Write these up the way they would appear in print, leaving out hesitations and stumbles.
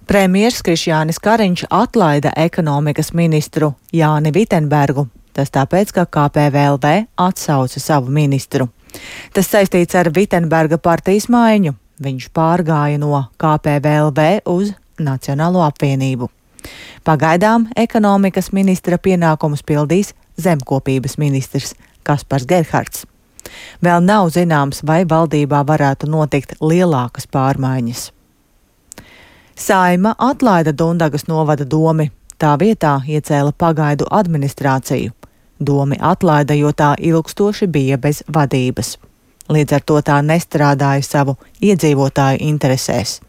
Premjers Krišjānis Kariņš atlaida ekonomikas ministru Jāni Vitenbergu. Tas tāpēc, ka KPVLV atsauca savu ministru. Tas saistīts ar Vitenberga partijas maiņu. Viņš pārgāja no KPVLV uz Nacionālo apvienību. Pagaidām ekonomikas ministra pienākumus pildīs zemkopības ministrs Kaspars Gerhards. Vēl nav zināms, vai valdībā varētu notikt lielākas pārmaiņas. Saeima atlaida Dundagas novada domi, tā vietā iecēla pagaidu administrāciju. Domi atlaida, jo tā ilgstoši bija bez vadības. Līdz ar to tā nestrādāja savu iedzīvotāju interesēs.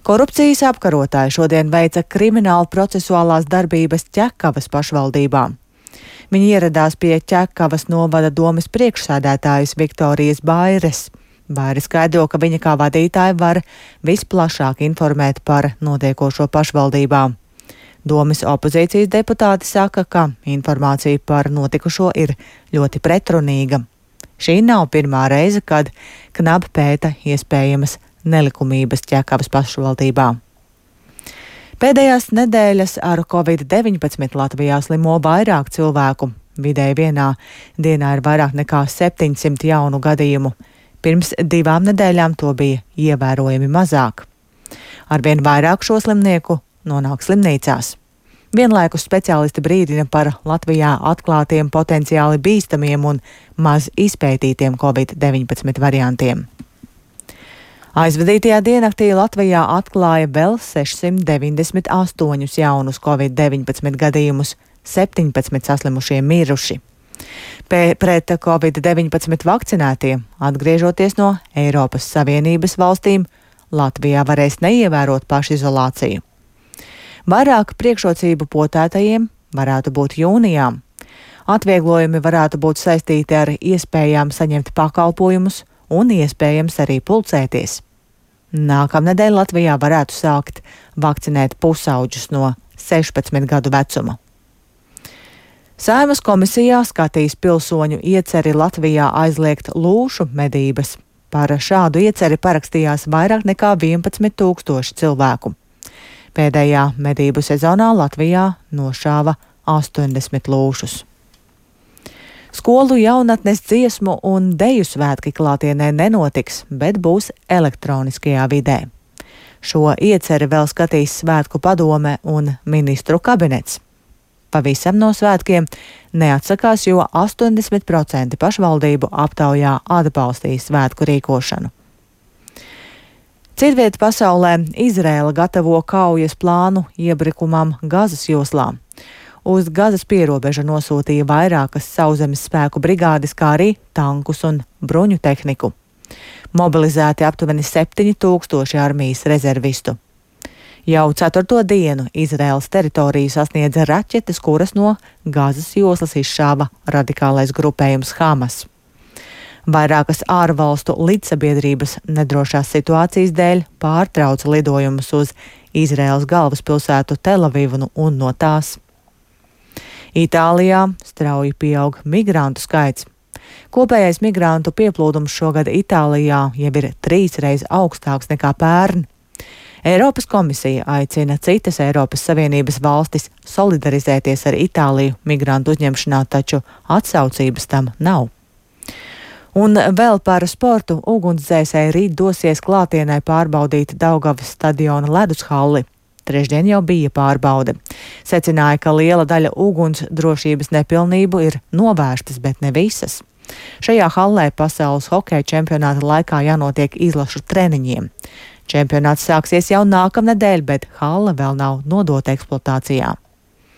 Korupcijas apkarotāji šodien veica kriminālu procesuālās darbības Ķekavas pašvaldībā. Viņi ieradās pie Ķekavas novada domes priekšsēdētājas Viktorijas Baires. Baire skaidro, ka viņa kā vadītāja var visplašāk informēt par notiekošo pašvaldībā. Domes opozīcijas deputāti saka, ka informācija par notikušo ir ļoti pretrunīga. Šī nav pirmā reize, kad KNAB pēta iespējamas nelikumības Ķekavas pašvaldībā. Pēdējās nedēļas ar Covid-19 Latvijā slimo vairāk cilvēku. Vidēji vienā dienā ir vairāk nekā 700 jaunu gadījumu. Pirms 2 nedēļām to bija ievērojami mazāk. Arvien vairāk šo slimnieku nonāk slimnīcās. Vienlaikus speciālisti brīdina par Latvijā atklātiem potenciāli bīstamiem un maz izpētītiem Covid-19 variantiem. Aizvadītajā diennaktī Latvijā atklāja vēl 698 jaunus Covid-19 gadījumus, 17 saslimušie miruši. Pret Covid-19 vakcinētie, atgriežoties no Eiropas Savienības valstīm, Latvijā varēs neievērot pašizolāciju. Vairāk priekšrocību potētajiem varētu būt jūnijā. Atvieglojumi varētu būt saistīti ar iespējām saņemt pakalpojumus un iespējams arī pulcēties. Nākamnedēļ Latvijā varētu sākt vakcinēt pusauģus no 16 gadu vecuma. Saeimas komisijā skatīs pilsoņu ieceri Latvijā aizliegt lūšu medības. Par šādu ieceri parakstījās vairāk nekā 11 000 cilvēku. Pēdējā medību sezonā Latvijā nošāva 80 lūšus. Skolu jaunatnes dziesmu un deju svētki klātienē nenotiks, bet būs elektroniskajā vidē. Šo ieceri vēl skatīs svētku padome un ministru kabinets. Pavisam no svētkiem neatsakās, jo 80% pašvaldību aptaujā atbalstīja svētku rīkošanu. Citviet pasaulē Izraēla gatavo kaujas plānu iebrukumam Gazas joslā. Uz Gazas pierobeža nosūtīja vairākas sauszemes spēku brigādes, kā arī tankus un bruņu tehniku. Mobilizēti aptuveni 7000 armijas rezervistu. Jau 4. dienu Izraēlas teritoriju sasniedza raķetes, kuras no Gazas joslas izšāva radikālais grupējums Hamas. Vairākas ārvalstu līdzsabiedrības nedrošās situācijas dēļ pārtrauca lidojumus uz Izraēlas galvaspilsētu Telavivu un no tās. Itālijā strauji pieaug migrantu skaits. Kopējais migrantu pieplūdums šogad Itālijā jau ir 3 reizes augstāks nekā pērn. Eiropas komisija aicina citas Eiropas Savienības valstis solidarizēties ar Itāliju migrantu uzņemšanā, taču atsaucības tam nav. Un vēl par sportu. Ugunsdzēsēji rīt dosies klātienē pārbaudīt Daugavas stadiona ledushalli. Trešdien jau bija pārbaude. Secināja, ka liela daļa uguns drošības nepilnību ir novērstas, bet ne visas. Šajā hallē pasaules hokeja čempionāta laikā jānotiek izlašu treniņiem. Čempionāts sāksies jau nākamnedēļ, bet halle vēl nav nodota eksploatācijā.